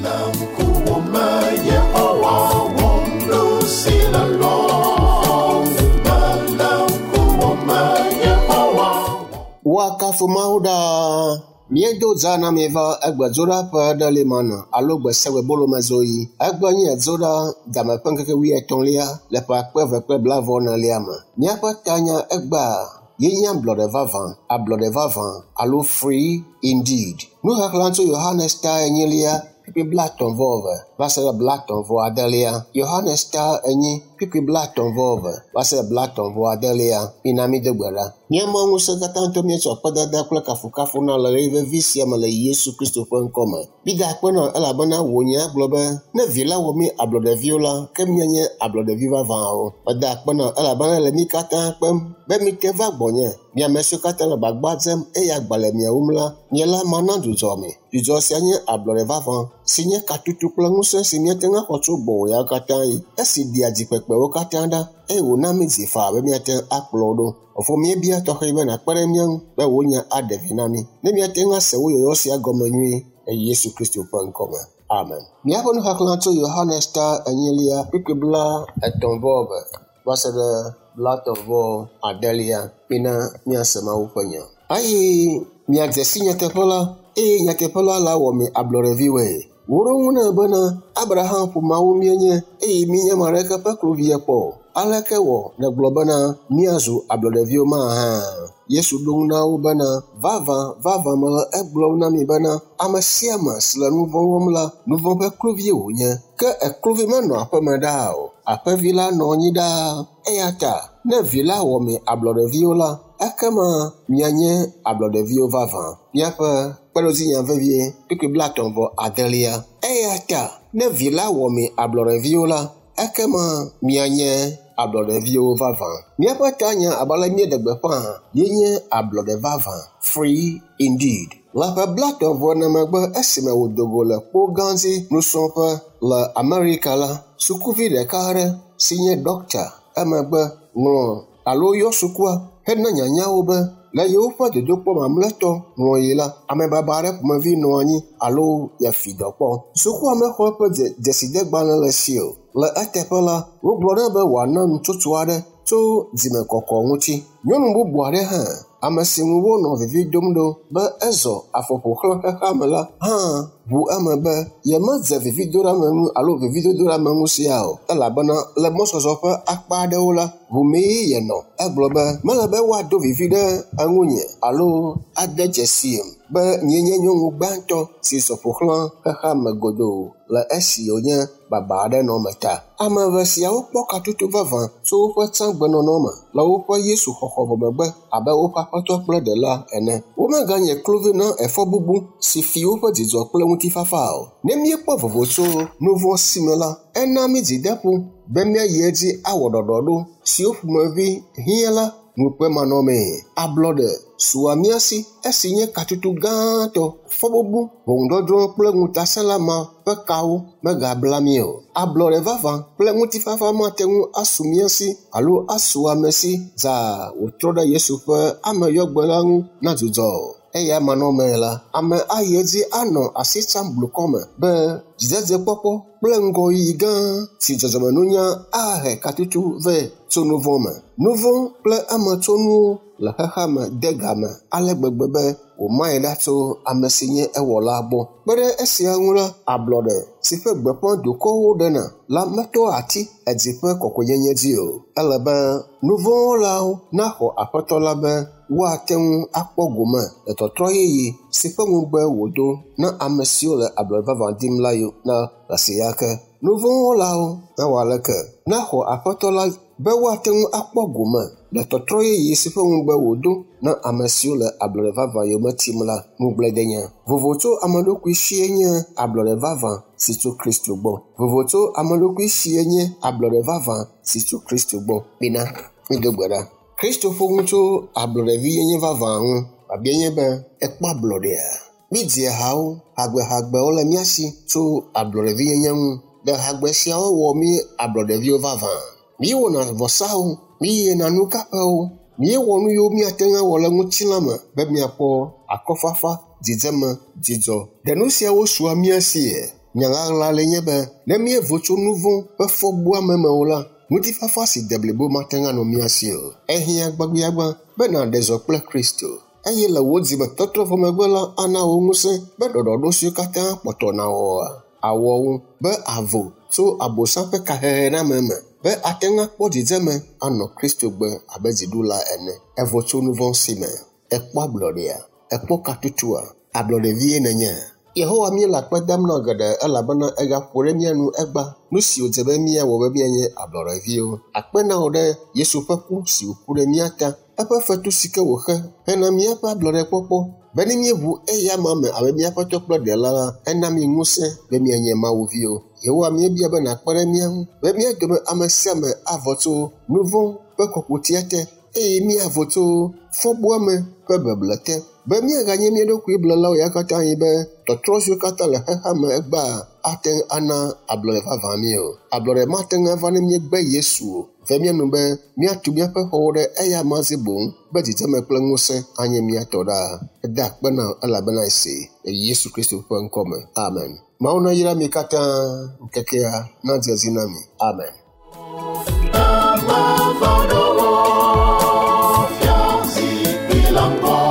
Le ŋkuwò me Yehowa wɔm nu si le lɔlɔ̃m. Mele ŋkuwò me Yehowa. Woakafu Mawu ɖaa. Míedo dza na mi va egbe dzoɖaƒe ɖe li mana alo gbe sia gbe bolomezoɣi. Egbe nye dzoɖa game ƒe ŋkeke wuietɔ̃lia le ƒe akpe eve kple blaeve-vɔ-enelia me. Míaƒe tanya egbea ye nye ablɔɖe vavã, ablɔɖe vavã alo free indeed. Nuxexlẽ tso Yohanes ta enyilia kpukpui blaetɔ̃ vɔ eve va se ɖe blaetɔ̃ vɔ adelia. Yohanes ta enyi kpukpui blaetɔ̃ vɔ eve va se ɖe blaetɔ̃ vɔ adelia. Mina mído gbe ɖa. Mía Mawu ŋusẽkatãtɔ míetsɔ akpedada kple kafukafu na le ɣeyiɣi vevi sia me le Yesu Kristo ƒe ŋkɔ me. Mída akpe na wò elabena wò nya gblɔ be ne vi la wɔ mí ablɔɖeviwo la, ke míanye ablɔɖevi vavãwo. Meda akpe na wò elabena le mí katã kpem be mite va gbɔnye. Mi ame siwo katã le gbagba dzem eye agba le mia wum la, nye la mana dzudzɔ mi. Dzudzɔ sia nye ablɔɖe vavã si nye katutu kple ŋusẽ si míate ŋu axɔ tso gbɔwò ya katã ɣi. Esi ɖea dzikpekpewo katã ɖa eye wòna mí dzi faa be míate ŋu akplɔ wo ɖo. Fofo míebia tɔxɛ be nàkpe ɖe mía ŋu be wò nya aɖe vi na mí. Ne míate ŋu ase wò yɔyɔ sia gɔme nyuie le Yesu Kristo ƒe ŋkɔ me. Amen. Míaƒe nuxexlẽ tso Yohanes ta enyilia kpukpui blaetɔ̃ vɔ eve va se ɖe blaetɔ̃ vɔ adelia. Mina míase Mawu ƒe nya. Eye miadze si nyateƒe la, eye nyateƒe la lawɔ mi ablɔɖeviwoe. Woɖo eŋu nɛ bena, Abraham ƒomeawo míenye eye míenye ame aɖeke ƒe kluvia kpɔ o. Aleke wɔ nègblɔ bena míazu ablɔɖeviwo mahã? Yesu ɖo eŋu na wo bena, Vavã, vavã mele egblɔm na mi bena, ame sia ame si le nu vɔ̃ wɔm la, nu vɔ̃ ƒe kluvie wònye. Ke ekluvi menɔa aƒeme ɖaa o, aƒevi la nɔ anyi ɖaa. Eya ta ne vi la wɔ mi ablɔɖeviwo la, ekema mianye ablɔɖeviwo vavã. Míaƒe kpeɖodzinya vevie kpukpui blaetɔ̃ vɔ adelia. Eya ta ne vi la wɔ mi ablɔɖeviwo la, ekema mianye ablɔɖeviwo vavã. Míaƒe tanya abe ale míeɖe gbeƒã ye nye ablɔɖe vavã, free indeed. Le ƒe blaetɔ̃ vɔ ene megbe esime wòdo go le kpo gã dzi nusrɔ̃ƒe le Amerika la, sukuvi ɖeka aɖe si nye ɖɔkta emegbe ŋlɔ alo yɔ sukua hena nyanyawo be le yewoƒe dodokpɔ mamlɛtɔ ŋlɔɣi la, ame baba aɖe ƒomevi nɔ anyi alo yeafi dɔ kpɔ. Sukua mexɔ eƒe dzesidegbalẽ le esi o. Le eteƒe la, wogblɔ nɛ be wòana nutsotso aɖe tso dzimekɔkɔ ŋuti. Nyɔnu bubu aɖe hã, ame si ŋu wonɔ vivi dom ɖo be ezɔ afɔ ƒo xlã xexeame la hã ʋu eme be yemedze vividoɖeameŋu alo vividodoɖeameŋu sia o elabena le mɔzɔzɔ ƒe akpa aɖewo la, ʋumee yenɔ. Egblɔ be mele be woado vivi ɖe eŋunye alo ade dzesim be nyee nye nyɔnu gbãtɔ si zɔ ƒo xlã xexeame godoo le esi wònye baba aɖe nɔ eme ta. Ame eve siawo kpɔ katutu vavã tso woƒe tsãgbenɔnɔ me le woƒe Yesu xɔxɔ vɔ megbe abe woƒe Aƒetɔ kple Ɖela ene. Womeganye kluvi na efɔbubu si fi woƒe dzidzɔ kple ŋutifafa o. Ne míekpɔ vovo tso nu vɔ̃ si me la, ena mí dzideƒo be míayi edzi awɔ ɖɔɖɔɖo siwo ƒomevi hiã la ŋukpe manɔmee. Ablɔɖe sua mía si esi nye katutu gãtɔ, fɔbubu, ʋɔnudɔdrɔ̃ kple ŋutasẽla ma ƒe kawo megabla mí o. Ablɔɖe vavã kple ŋutifafa mate ŋu asu mía si alo asu ame si dzaa wòtrɔ ɖe Yesu ƒe ameyɔgbe la ŋu na dzudzɔ o. Eya manɔmee la, ame ayi edzi anɔ asi tsam blukɔ me be dzidzedzekpɔkpɔ kple ŋgɔyiyi gã si dzɔdzɔmenunya ahe katutu vɛ tso nu vɔ̃ me. Nu vɔ̃ kple emetsonuwo le xexeame de game ale gbegbe be wòmae ɖa tso ame si nye ewɔla gbɔ. Kpe ɖe esia ŋu la, ablɔɖe si ƒe gbeƒã dukɔwo ɖena la metoa ati edzi ƒe kɔkɔenyenye dzi o. Ele be nu vɔ̃ wɔlawo naxɔ Aƒetɔ la be woate ŋu akpɔ gome le tɔtrɔ yeye si ƒe ŋugbe wòdo na ame siwo le ablɔɖe vavã dim la na ɣesiaɣi ke. Nu vɔ̃ wɔlawo nawɔ aleke naxɔ Aƒetɔ la be woate ŋu akpɔ gome le tɔtrɔ yeye si ƒe ŋugbe wòdo na ame siwo le ablɔɖe vavã yome tim la ŋugbledenya. Vovo tso ame ɖokui sie nye ablɔɖe vavã si tso Kristo gbɔ. Vovo tso ame ɖokui sie nye ablɔɖe vavã si tso Kristo gbɔ. Mina mído gbe ɖa. Kristo ƒo nu tso ablɔɖevinyenye vavã ŋu. Biabia nye be, ekpɔ ablɔɖea? Mídzia hawo, hagbehagbewo le mía si tso ablɔɖevinyenye ŋu. Ɖe hagbe siawo wɔ mí ablɔɖeviwo vavã? Míewɔna vɔsawo, míeyina nukaƒewo, míewɔ nu yiwo míate ŋu awɔ le ŋutilã me be míakpɔ akɔfafa, dzidzeme, dzidzɔ. Ɖe nu siawo sua mía sie? Nya ɣaɣla le nye be ne míevo tso nu vɔ̃ ƒe fɔbuame me o la, ŋutifafa si de blibo mate ŋu anɔ mía si o. Ehiã gbagbiagbã be nàɖe zɔ kple Kristo eye le wò dzimetɔtrɔ vɔ megbe la ana wò ŋusẽ be ɖɔɖɔɖo siwo katã kpɔtɔ na wòa awɔ wo be avo tso abosam ƒe kahehename me be ate ŋu akpɔ dzidzeme anɔ Kristo gbe abe dziɖula ene. Evo tso nu vɔ̃ si me. Ekpɔ ablɔɖea? Ekpɔ katutua? Ablɔɖevie nènye? Yehowa míele akpe dam na geɖe elabena egaƒo ɖe mía nu egba nu si wòdze be míawɔ be míanye ablɔɖeviwo. Akpe na wò ɖe Yesu ƒe ku si wòku ɖe mía ta, eƒe fetu si ke wòxe hena míaƒe ablɔɖekpɔkpɔ be ne míeʋu eya ma me abe míaƒe Aƒetɔ kple Ɖela la, ena mí ŋusẽ be míanye Mawuviwo. Yehowa míebia be nàkpe ɖe mía ŋu be mía dome ame sia ame avɔ tso nu vɔ̃ ƒe kɔkutia te eye míavo tso fɔbuame ƒe beble te be míaganye mía ɖokui blelawo ya katã yi be tɔtrɔ siwo katã le xexea me egbea ate ŋu ana ablɔɖe vavã mí o. Ablɔɖe mate ŋu ava ne míegbe Yesu o. Ve mía nu be míatu míaƒe xɔwo ɖe eya ma dzi boŋ be dzidzeme kple ŋusẽ anye mía tɔ ɖaa. Eda akpe na wò elabena ese le Yesu Kristo ƒe ŋkɔ me. Amen. Mawu nayra mi katã ŋkekea nadze edzi na mi. Amen. Emeva ɖo wò fiazikpui la ŋgɔ.